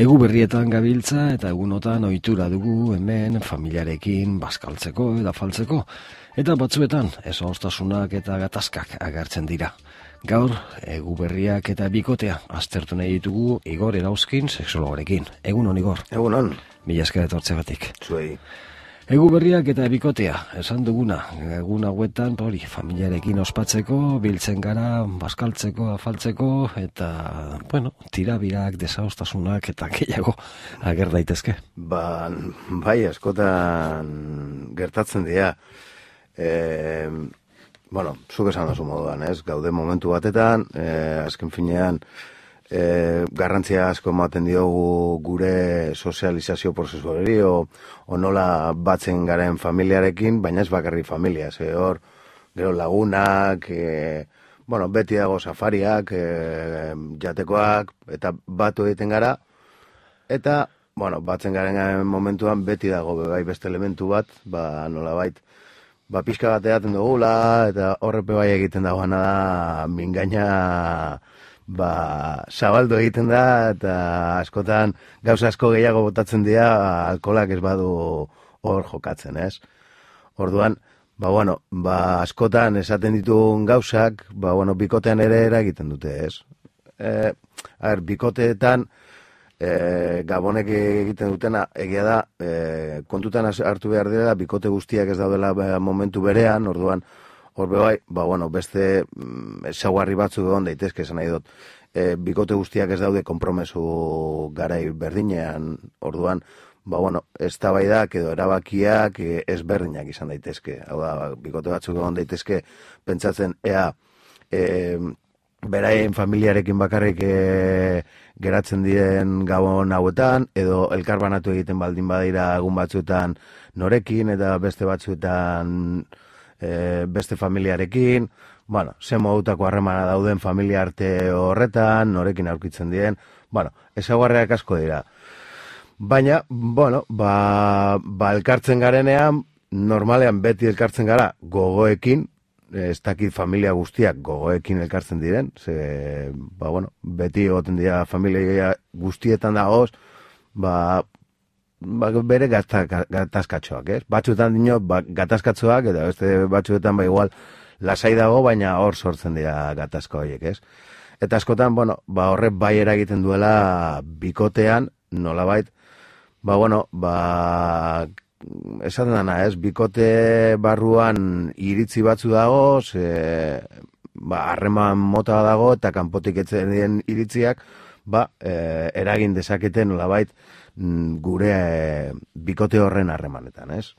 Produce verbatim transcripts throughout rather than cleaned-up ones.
Egu berrietan gabiltza eta egunotan ohitura dugu hemen familiarekin bazkaltzeko eta faltzeko. Eta batzuetan ezagoztasunak eta gatazkak agertzen dira. Gaur, egu berriak eta bikotea aztertu nahi ditugu Igor Erauzkin sexologorekin. Egun on, Igor. Egun on. Mila esker etortzegatik. Zuei. Egu berriak eta bikotea, esan duguna, egun hauetan, hori, familiarekin ospatzeko, biltzen gara, bazkaltzeko, afaltzeko, eta, bueno, tirabirak, desadostasunak eta gehiago ager daitezke. Ba, bai, askotan gertatzen dira. E, bueno, zuk esan duzu moduan, ez? Gaude momentu batetan, e, azken finean, E, garrantzia asko ematen diogu gure sozializazio prozesuari o, o nola batzen garen familiarekin, baina ez bakarri familia, ze hor, gero lagunak, e, bueno, beti dago safariak, e, jatekoak, eta batu egiten gara, eta, bueno, batzen garen momentuan beti dago bai beste elementu bat, ba nola bait, ba pixka bat edaten dugula, eta horrepe bai egiten dagoena da, mingaina, ba, zabaldu egiten da, eta askotan gauza asko gehiago botatzen dira, alkolak ez badu hor jokatzen, ez? Orduan, ba, bueno, ba, askotan esaten ditugun gauzak, ba, bueno, bikotean ere eragiten dute, ez? E, a ber, bikoteetan, e, gabonek egiten dutena, egia da, e, kontutan hartu behar dira, bikote guztiak ez daudela momentu berean, orduan, Horbe bai, ba, bueno, beste ezaugarri batzuk egon daitezke, esan nahi dut, e, bikote guztiak ez daude konpromesu garai berdinean, orduan, ba, bueno, eztabaidak edo erabakiak e, ezberdinak izan daitezke. Hau da, bikote batzuk egon daitezke, pentsatzen, ea, e, beraien familiarekin bakarrik e, geratzen diren gabon hauetan, edo elkarbanatu egiten baldin badira egun batzuetan norekin, eta beste batzuetan E, beste familiarekin, bueno, ze modutako harremana dauden familia arte horretan, norekin aurkitzen diren, bueno, ezaugarriak asko dira. Baina, bueno, ba, ba elkartzen garenean, normalean beti elkartzen gara gogoekin, ez dakit familia guztiak gogoekin elkartzen diren, ze, ba, bueno, beti egoten dira familia guztietan dagoz, ba, Ba, bere gatazkatxoak, ez? Batzuetan dino, ba, gatazkatxoak, eta beste batzuetan ba igual lasai dago, baina hor sortzen dira gatazka horiek, ez? Eta askotan, bueno, ba horrek bai eragiten duela bikotean, nolabait, ba bueno, ba esaten dana, ez? Bikote barruan iritzi batzu dago, ze, ba harreman mota dago, eta kanpotik etzen diren iritziak, ba, e, eragin dezaketen nolabait, gure e, bikote horren harremanetan, ez?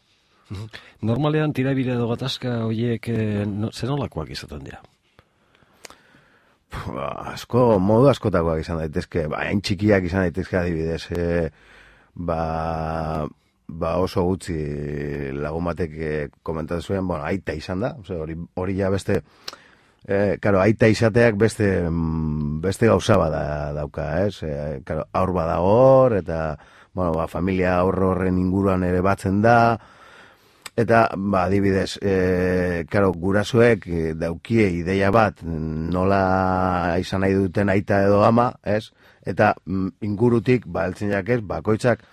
Normalean tirabira edo gatazka horiek e, no, zer nolakoak izaten dira? Ba, asko, modu askotakoak izan daitezke, ba, hain txikiak izan daitezke adibidez, e, ba, ba oso gutxi lagun batek e, komentatzen zuen, bueno, aita izan da, hori, hori ja beste, Eh, karo, aita izateak beste, beste gauza bada dauka, ez? Eh, karo, aur badago hor, eta, bueno, ba, familia aur horren inguruan ere batzen da, eta, ba, adibidez, eh, karo, gurasoek eh, daukie ideia bat, nola izan nahi duten aita edo ama, ez? Eta mm, ingurutik, ba, eltzen jakez, bakoitzak,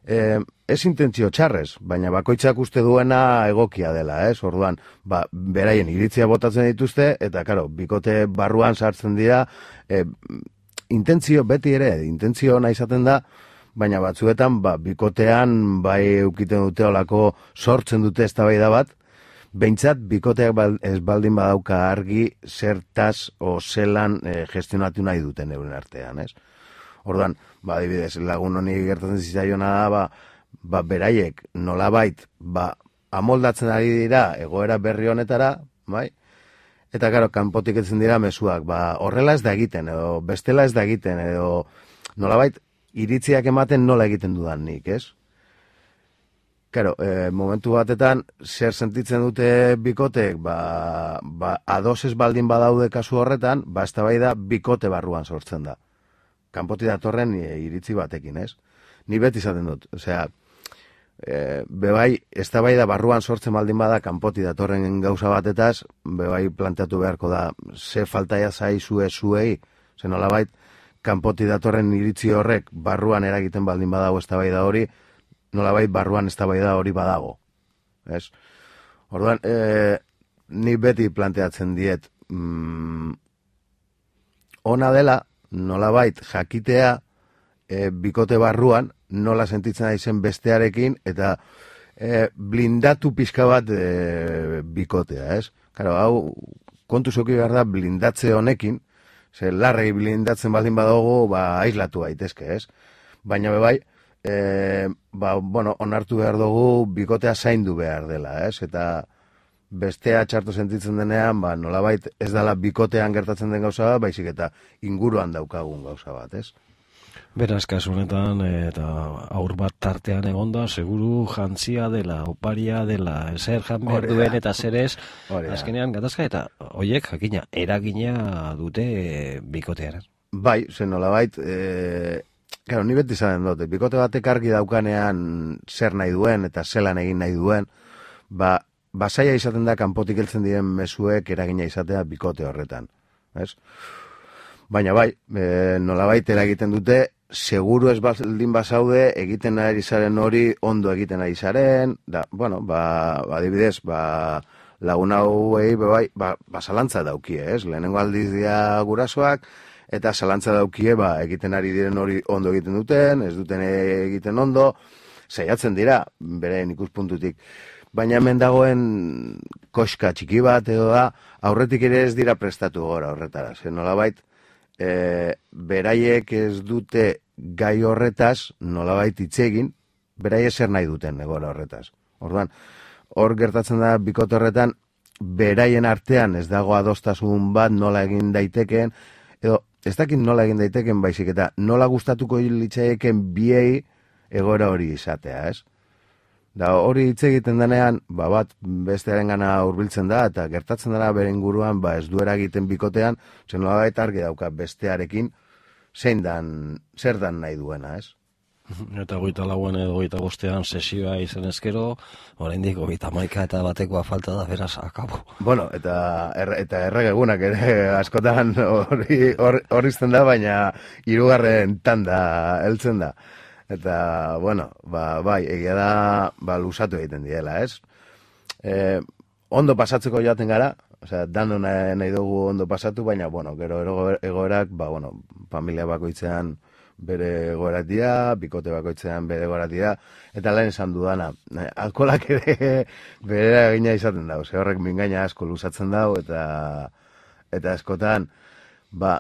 eh, ez intentzio txarrez, baina bakoitzak uste duena egokia dela, ez? Orduan, ba, beraien iritzia botatzen dituzte, eta, karo, bikote barruan sartzen dira, e, intentzio beti ere, intentzio ona izaten da, baina batzuetan, ba, bikotean, bai eukiten dute olako sortzen dute eztabaida bat, behintzat, bikoteak bal, ez baldin badauka argi zertaz o zelan e, gestionatu nahi duten euren artean, ez? Orduan, ba, adibidez, lagun honi gertatzen zitzaiona da, ba, ba, beraiek nolabait, ba, amoldatzen ari dira egoera berri honetara, bai? Eta, karo, kanpotik etzen dira mezuak, ba, horrela ez da egiten, edo bestela ez da egiten, edo nolabait, iritziak ematen nola egiten dudan nik, ez? Karo, e, momentu batetan, zer sentitzen dute bikotek, ba, ba, ados ez baldin badaude kasu horretan, ba, eztabaida bikote barruan sortzen da. Kanpotik datorren e, iritzi batekin, ez? Ni beti izaten dut, osea, e, bebai, eztabaida barruan sortzen baldin bada kanpoti datorren gauza batetaz, bebai planteatu beharko da, ze faltaia zaizue zuei, ze nolabait, kanpoti datorren iritzi horrek barruan eragiten baldin badago eztabaida hori, nolabait barruan eztabaida hori badago. Ez? Orduan, e, ni beti planteatzen diet, mm, ona dela, nolabait jakitea, e, bikote barruan, nola sentitzen aizen bestearekin, eta e, blindatu pixka bat e, bikotea, ez? Claro, hau, kontu zeuki behar da blindatze honekin, ze larregi blindatzen baldin badogu, ba, aislatu gaitezke, ez? Baina bebai, e, ba, bueno, onartu behar dugu bikotea zaindu behar dela, ez? Eta bestea txarto sentitzen denean, ba, nolabait ez dela bikotean gertatzen den gauza bat, baizik eta inguruan daukagun gauza bat, ez? Beraz, kasu honetan, eta aur bat tartean egonda, seguru jantzia dela, oparia dela, zer jan behar duen eta zer ez, azkenean gatazka, eta hoiek, jakina, eragina dute e, bikotean. Bai, zen nolabait, e, claro, ni beti zaten dute, bikote batek argi daukanean zer nahi duen eta zelan egin nahi duen, ba, basaia izaten da kanpotik heltzen diren mezuek eragina izatea bikote horretan, ez? Baina bai, e, nolabait eragiten dute, seguru ez baldin bazaude, egiten ari zaren hori, ondo egiten ari zaren, da, bueno, ba, adibidez, ba, lagun hauei, bai, ba, ba, zalantza daukie, ez? Lehenengo aldiz dira gurasoak, eta zalantza daukie, ba, egiten ari diren hori ondo egiten duten, ez duten egiten ondo, saiatzen dira, beren ikuspuntutik. Baina hemen dagoen koska txiki bat edo da, aurretik ere ez dira prestatu gora horretara, zen nolabait, E, beraiek ez dute gai horretaz, nolabait hitz egin, beraiek zer nahi duten egora horretaz. Orduan, hor gertatzen da bikote horretan, beraien artean ez dago adostasun bat nola egin daiteken, edo ez dakit nola egin daiteken baizik eta nola gustatuko litzaieken biei egoera hori izatea, ez? Da hori hitz egiten denean, ba bat bestearen gana hurbiltzen da, eta gertatzen dela bere inguruan, ba ez duera egiten bikotean, zen nolabait argi dauka bestearekin, zein dan, zer dan nahi duena, ez? Eta goita lauan edo goita bostean sesioa izan ezkero, oraindik goita maika eta batekoa falta da, beraz, akabo. Bueno, eta er, eta erregegunak ere askotan hori hor izten da, baina hirugarren tanda heltzen da. Eta, bueno, ba, bai, egia da, ba, lusatu egiten diela, ez? E, ondo pasatzeko joaten gara, osea, dano nahi, nahi dugu ondo pasatu, baina, bueno, gero egoerak, ba, bueno, familia bakoitzean bere egoerak dira, bikote bakoitzean bere egoerak dira, eta lehen esan dudana, alkolak ere bere egina izaten da, osea, horrek mingaina asko lusatzen dau, eta, eta askotan, ba,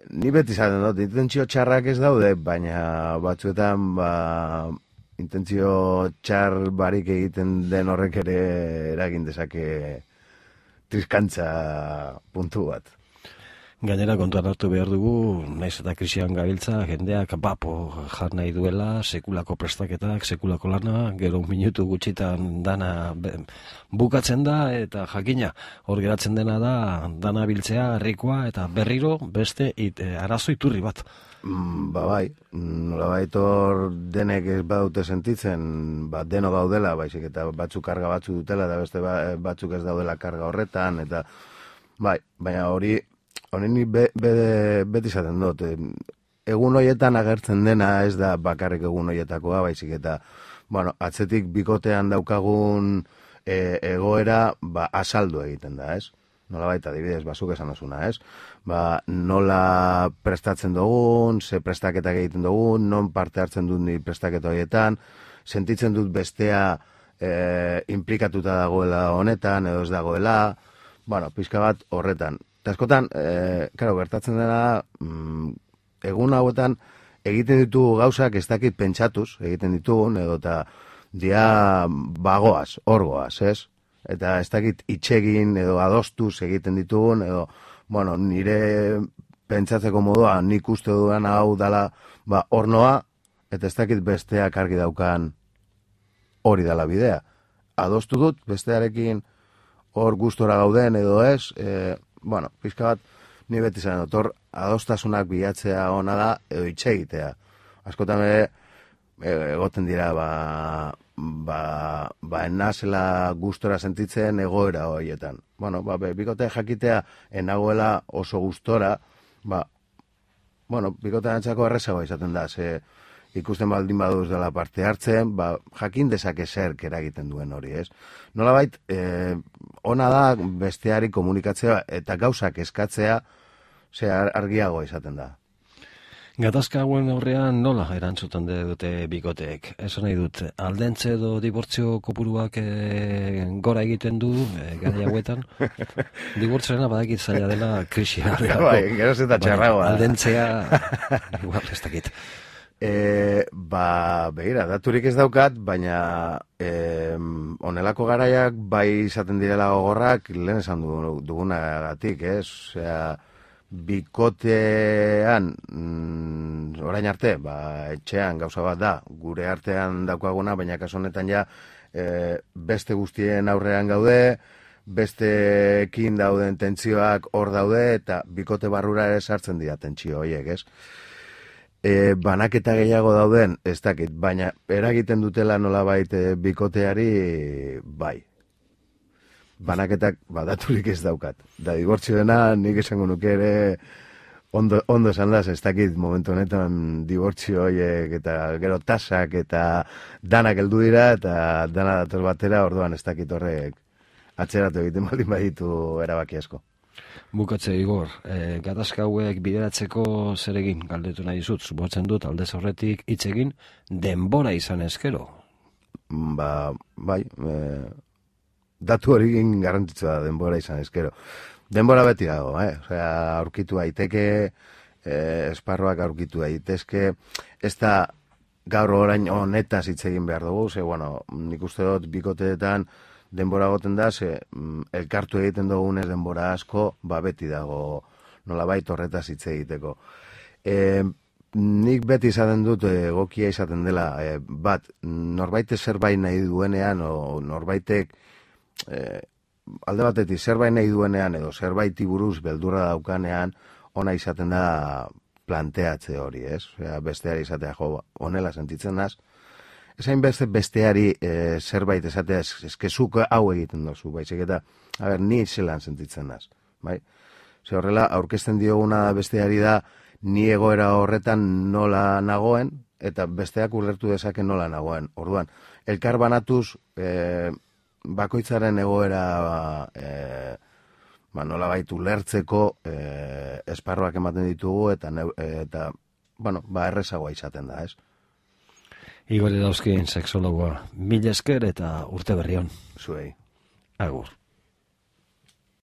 ni beti zaten dut, intentzio txarrak ez daude, baina batzuetan, ba, intentzio txar barik egiten den horrek ere eragin dezake triskantza puntu bat. Gainera kontuan hartu behar dugu, naiz eta krisian gabiltza, jendeak bapo jar nahi duela, sekulako prestaketak, sekulako lana, gero un minutu gutxitan dana bukatzen da, eta jakina, hor geratzen dena da, dana biltzea, herrikoa, eta berriro beste it, e, arazo iturri bat. Mm, ba bai, nolabait hor denek ez badute sentitzen, ba, deno gaudela, baizik eta batzuk karga batzu dutela, eta beste batzuk ez daudela karga horretan, eta bai, baina hori, Honen be, be, beti izaten dut, egun hoietan agertzen dena ez da bakarrik egun hoietakoa, baizik eta, bueno, atzetik bikotean daukagun e, egoera, ba, asaldu egiten da, ez? Nola baita, adibidez, bazuk esan osuna, ez? Ba, nola prestatzen dugun, ze prestaketak egiten dugun, non parte hartzen dut ni prestaketa horietan, sentitzen dut bestea e, implikatuta dagoela honetan, edo ez dagoela, bueno, pixka bat horretan. Eta askotan, e, karo, gertatzen dena, mm, egun hauetan egiten ditugu gauzak ez dakit pentsatuz, egiten ditugun, edo eta dia bagoaz, orgoaz, ez? Eta ez dakit itxegin edo adostuz egiten ditugun, edo, bueno, nire pentsatzeko modua, nik uste dudan hau dala, ba, ornoa, eta ez dakit besteak argi daukan hori dala bidea. Adostu dut, bestearekin hor gustora gauden edo ez, e, bueno, pizka bat, ni beti zaren otor, adostasunak bilatzea ona da, edo itxe egitea. Askotan ere, egoten dira, ba, ba, ba enazela gustora sentitzen egoera horietan. Bueno, ba, bikote jakitea enagoela oso gustora, ba, bueno, bikote antzako errezagoa izaten da, ze ikusten baldin baduz dela parte hartzen, ba, jakin dezake zerk eragiten duen hori, ez? Nolabait, eh, ona da besteari komunikatzea eta gauzak eskatzea, ze argiagoa izaten da. Gatazka hauen aurrean nola erantzuten dute bikoteek? Esan nahi dut, aldentze edo dibortzio kopuruak e, gora egiten du e, gara hauetan? Dibortzioena badakit zaila dela krisia. Bai, geroz eta txarragoa. Aldentzea, igual ez dakit. E, ba, behira, daturik ez daukat, baina e, onelako garaiak bai izaten direla gogorrak lehen esan dugunagatik, ez? Osea, bikotean mm, orain arte, ba, etxean gauza bat da, gure artean daukaguna, baina kasu honetan ja e, beste guztien aurrean gaude, besteekin dauden tentsioak hor daude, eta bikote barrura ere sartzen dira tentsio horiek, ez? E, banaketa gehiago dauden, ez dakit, baina eragiten dutela nolabait e, bikoteari, bai. Banaketak badaturik ez daukat. Da, dibortzioena nik esango nuke ere ondo, ondo esan da, ez dakit momentu honetan dibortzio horiek eta gero tasak eta danak heldu dira eta dana dator batera, orduan ez dakit horrek atzeratu egiten baldin baditu erabaki asko. Bukatze Igor, e, gatazka hauek bideratzeko zer egin galdetu nahi zut, suposatzen dut aldez horretik hitz egin denbora izan ezkero. Ba, bai, e, datu hori garrantzitsua da denbora izan ezkero. Denbora beti dago, eh? Osea, aurkitu daiteke, eh, esparroak aurkitu daitezke, ez da gaur orain honetaz hitz egin behar dugu, ze, bueno, nik uste dut bikoteetan denbora goten da, ze elkartu egiten dugunez denbora asko, ba beti dago nolabait horretaz hitz egiteko. E, nik beti izaten dut egokia izaten dela, e, bat, norbaitek zerbait nahi duenean, o norbaitek E, alde batetik zerbait nahi duenean edo zerbaiti buruz beldurra daukanean ona izaten da planteatze hori, ez? Osea, besteari izatea, jo, honela sentitzen naz. Ezain beste besteari e, zerbait esatea eskezuk hau egiten dozu, baizik eta, a ber, ni zelan sentitzen naz, bai? Ze horrela, aurkezten dioguna besteari da, ni egoera horretan nola nagoen, eta besteak ulertu dezake nola nagoen. Orduan, elkar banatuz, e, bakoitzaren egoera e, ba, nola baitu lertzeko e, esparroak ematen ditugu eta, eta bueno, ba, errezagoa izaten da, ez? Igor Erauzkin, sexologoa, mila esker eta urte berri on. Zuei. Agur.